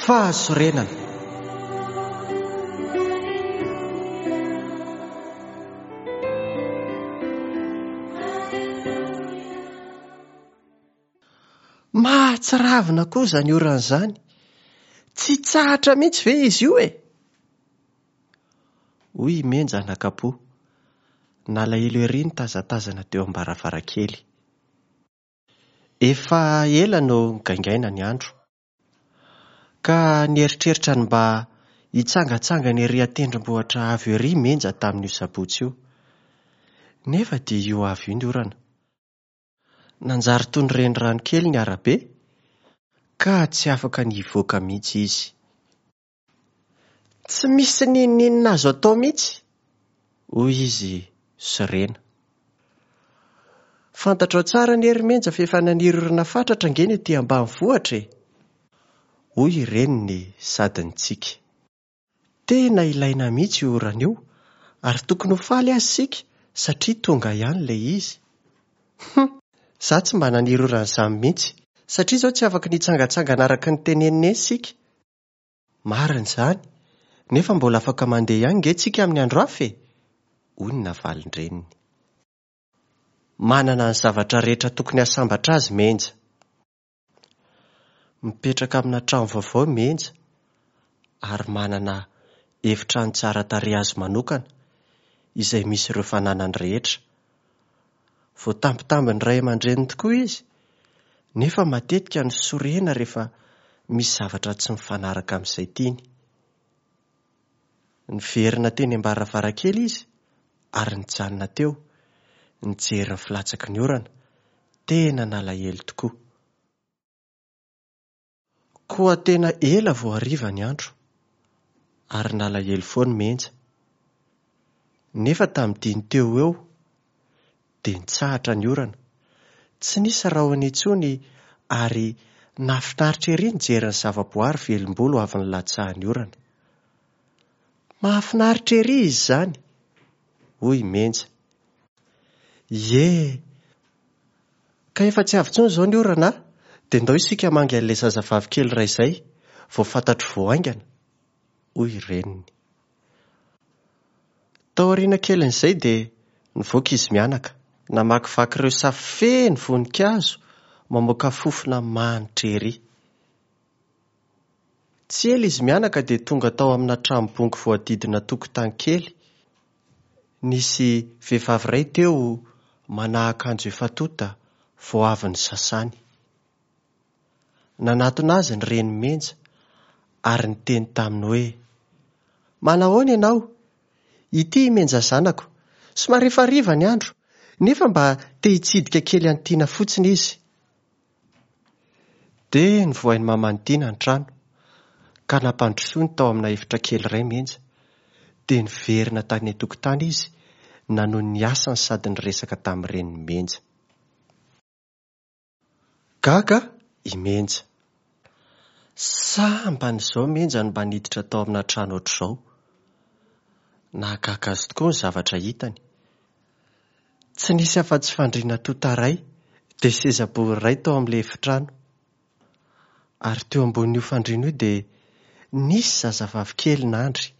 Fahasorenana. Mahatsiravina koa izany orana izany. Tsy hitsahatra mihitsy ve izy io e? Hoy i Menja anakam-po. Nalahelo ery nitazatazana teo am-baravarankely. Efa ela no nigaingaina ny andro. Ka nieritreritra ny mba hitsangatsangana ery an-tendrombohitra avo ery i Menja tamin'io sabotsy io. Nefa dia io avy io ny orana. Nanjary toy ny renirano kely ny arabe ka tsy afaka ny hivoaka mihitsy izy. Tsy misy n'inon'inona azo atao mihitsy, hoy izy sorena. Fantatrao tsara anie ry Menja fa efa naniry orana fatratra ange ny aty ambanivohitra e! hoy i reniny sady nitsiky. Tena ilaina mihitsy io orana io ary tokony ho faly aza isika satria tonga ihany ilay izy. Hum! Za tsy mba naniry orana izany mihitsy satria izao tsy afaka ny hitsangantsangana araka ny tenenin'i Neny isika. Marina izany, nefa mbola afaka mandeha ihany nge tsika amin'ny andro hafa e! hoy ny navalin-dreniny. Manana ny zavatra rehetra tokony hahasambatra azy Menja. Mipetraka amina trano vaovao i Menja ary manana efitrano tsara tarehy azy manokana izay misy ireo fananany rehetra. Voatambitambin'ny ray aman-dreniny tokoa izy, nefa matetika no sorena rehefa misy zavatra tsy mifanaraka amin'izay tiany. Niverina teny am-baravarankely izy ary nijanona teo, nijery ny filatsaky ny orana. Tena nalahelo tokoa. Koa tena ela vao hariva ny andro, ary nalahelo foana i Menja. Nefa tamin'ny dimy teo ho eo, dia nitsahatra ny orana. Tsy nisy rahona intsony ary nahafinaritra ery nijery ny zavaboary velom-bolo avy nilatsahan'ny orana. Mahafinaritra ery izy izany! hoy i Menja. Ie! Ka efa tsy avy intsony izao ny orana a! Dia ndao isika hamangy an'ilay zazavavy kely iray izay vao fantatro vao haingana, hoy i reniny. Taoriana kelin'izay dia nivoaka izy mianaka, namakivaky ireo saha feno voninkazo mamoaka fofona manitra ery. Tsy ela izy mianaka dia tonga tao amina trano bongo voadidina tokotany kely. Nisy vehivavy iray teo manao akanjo efa tonta vao avy nisasany. Nanatona azy ny reniny Menja ary niteny taminy hoe, Manahoana ianao? Ity i Menja zanako. Somary efa hariva ny andro, nefa mba te hitsidika kely an'i Tiana fotsiny izy. Dia novohain'i maman'i Tiana ny trano, ka nampandrosoiny tao amina efitra kely iray Menja. Dia niverina tany an-tokotany izy nanohy ny asany sady niresaka tamin'ny renin'i Menja. Gaga i Menja. Sambany izao Menja no mba niditra tao amina trano ohatr'izao. Nahagaga azy tokoa ny zavatra hitany. Tsy nisy afa-tsy fandriana tonta iray dia seza bory iray tao amin'ilay efitrano. Ary teo ambonin'io fandriana io dia nisy zazavavy kely nandry,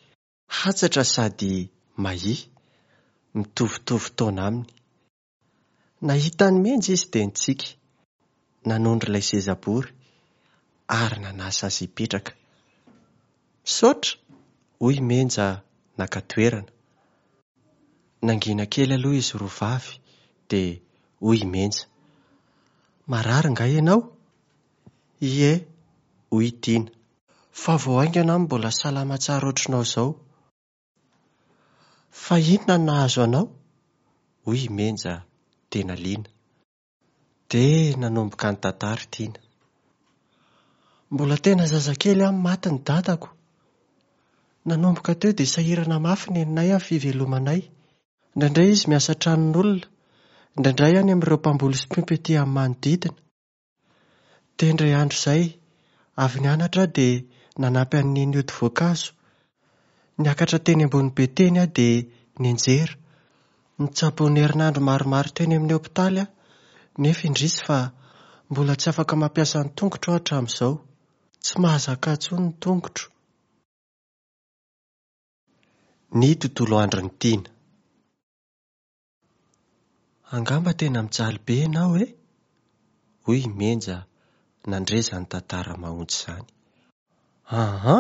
hatsatra sady mahia, mitovitovy taona aminy. Nahita an'i Menja izy dia nitsiky, nanondro ilay seza bory ary nanasa azy hipetraka. Misaotra, hoy i Menja naka toerana. Nangina kely aloha izy roa vavy dia hoy i Menja, Marary nga ianao? Ie, hoy i Tiana. Fa vao haingana aho no mbola salama tsara ohatrinao izao. Fa inona no nahazo anao? hoy i Menja tena liana. Dia nanomboka nitantara i Tiana. Mbola tena zazakely aho no maty ny dadako. Nanomboka teo dia sahirana mafy neninay amin'ny fivelomanay. Indraindray izy miasa tranon'olona, indraindray any amin'ireo mpamboly sy mpiompy ety amin'ny manodidina. Dia indray andro izay, avy nianatra aho dia nanampy an'i Neny hioty voankazo. Niakatra teny ambony be teny aho dia nianjera. Nitsaboina herinandro maromaro teny amin'ny hopitaly aho, nefa indrisy fa mbola tsy afaka mampiasa ny tongotro aho hatramin'izao. Tsy mahazaka intsony ny tongotro. Ny tontolo andron'i Tiana. Angamba tena mijaly be ianao e? Hoy i Menja nandre izany tantara mahaontsy izany. Aa!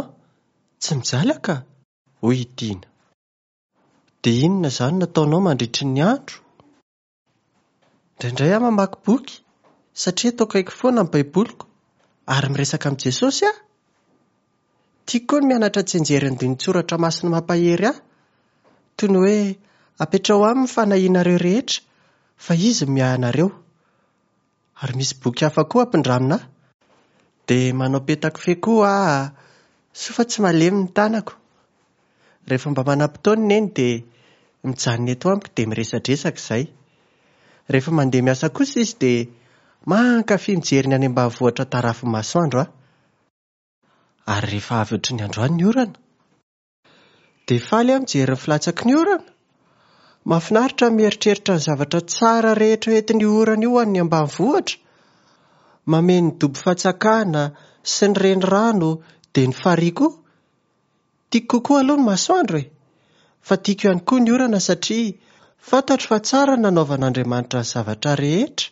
Tsy mijaly aho ka! Hoy i Tiana. Dia inona izany no ataonao mandritry ny andro? Indraindray aho mamaky boky satria eto akaiko foana ny Baiboliko ary miresaka amin'i Jesosy aho. Tiako koa ny mianatra tsianjery andinin-tsoratra masina mampahery ahy, toy ny hoe apetraho aminy ny fanahianareo rehetra fa izy no miahy anareo. Ary misy boky hafa koa ampindramina ahy. Dia manao petakofehy koa aho, soa fa tsy malemy ny tanako. Rehefa mba manam-potoana i Neny dia mijanona eto amiko dia miresadresaka izahay. Rehefa mandeha miasa kosa izy dia mankafy mijery ny any ambanivohitra tarafin'ny masoandro aho. Ary rehefa avy ohatry ny androany ny orana? Dia faly aho mijery ny filatsaky ny orana. Mahafinaritra ny mieritreritra ny zavatra tsara rehetra entin'io orana io ho an'ny ambanivohitra. Mameno ny dobo fatsakana sy ny renirano dia ny farihy koa. Tiako kokoa aloha ny masoandro e! Fa tiako ihany koa ny orana satria fantatro fa tsara ny nanaovan'Andriamanitra ny zavatra rehetra.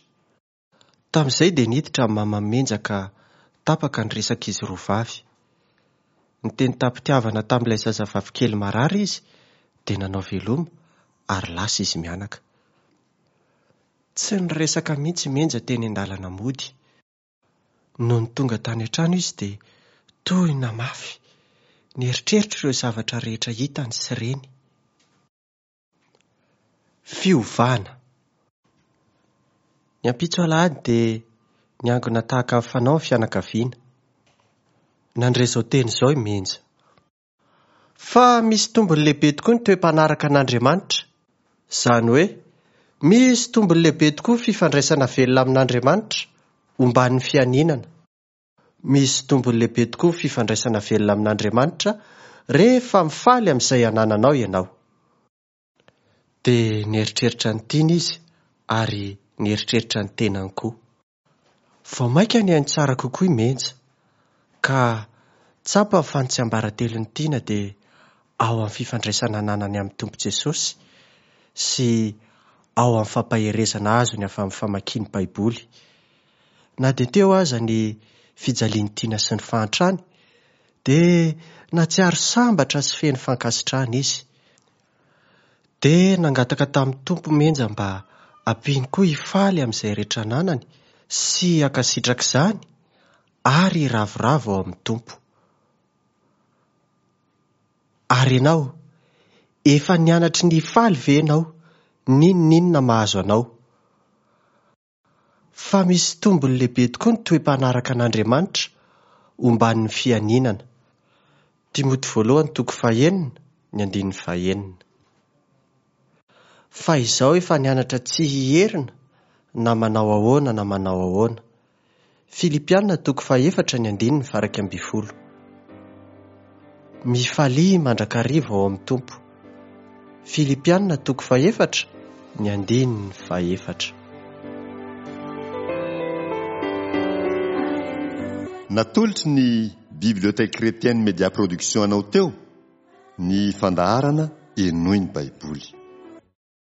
Tamin'izay dia niditra ny maman'i Menja ka tapaka ny resak'izy roa vavy. Niteny tam-pitiavana tamin'ilay zazavavikely marary izy dia nanao veloma ary lasa izy mianaka. Tsy niresaka mihitsy i Menja teny an-dalana mody. Nony tonga tany an-trano izy dia tohina mafy nieritreritra ireo zavatra rehetra hitany sy reny. Fiovana. Ny ampitso alahady dia niangona tahaka ny fanao ny fianakaviana. Nandre izao teny izao i Menja. Fa misy tombony lehibe tokoa ny toe-panaraka an'Andriamanitra. Izany hoe, misy tombony lehibe tokoa ny fifandraisana velona amin'Andriamanitra, omban'ny fianinana. Misy tombony lehibe tokoa ny fifandraisana velona amin'Andriamanitra rehefa mifaly amin'izay anananao ianao. Dia nieritreritra ny tiany izy ary nieritreritra ny tenany koa. Vao mainka nihaino tsara kokoa i Menja, ka tsapany fa ny tsiambaratelon'i Tiana dia ao amin'ny fifandraisana ananany amin'ny Tompo Jesosy sy ao amin'ny fampaherezana azony avy amin'ny famakiany Baiboly. Na dia teo aza ny fijalian'i Tiana sy ny fahantrany, dia nahatsiaro sambatra sy feno fankasitrahana izy. Dia nangataka tamin'ny Tompo Menja mba hampiany koa hifaly amin'izay rehetra ananany sy hankasitraka izany ary hiravoravo ao amin'ny Tompo. Ary ianao, efa nianatry ny hifaly ve ianao n'inon'inona mahazo anao? Fa misy tombony lehibe tokoa ny toe-panaraka an'Andriamanitra omban'ny fianinana. Timoty voalohany toko fahenina ny andininy fahenina. Fa izao efa nianatra tsy hiherina na manao ahoana na manao ahoana. Filipiana toko fahefatra ny andininy faha-11. Mifalia mandrakariva ao amin'ny Tompo. Filipiana toko fahefatra ny andininy fahefatra. Natolotry ny Bibliothèque Chrétienne Média Production anao teo ny fandaharana Henoy ny Baiboly.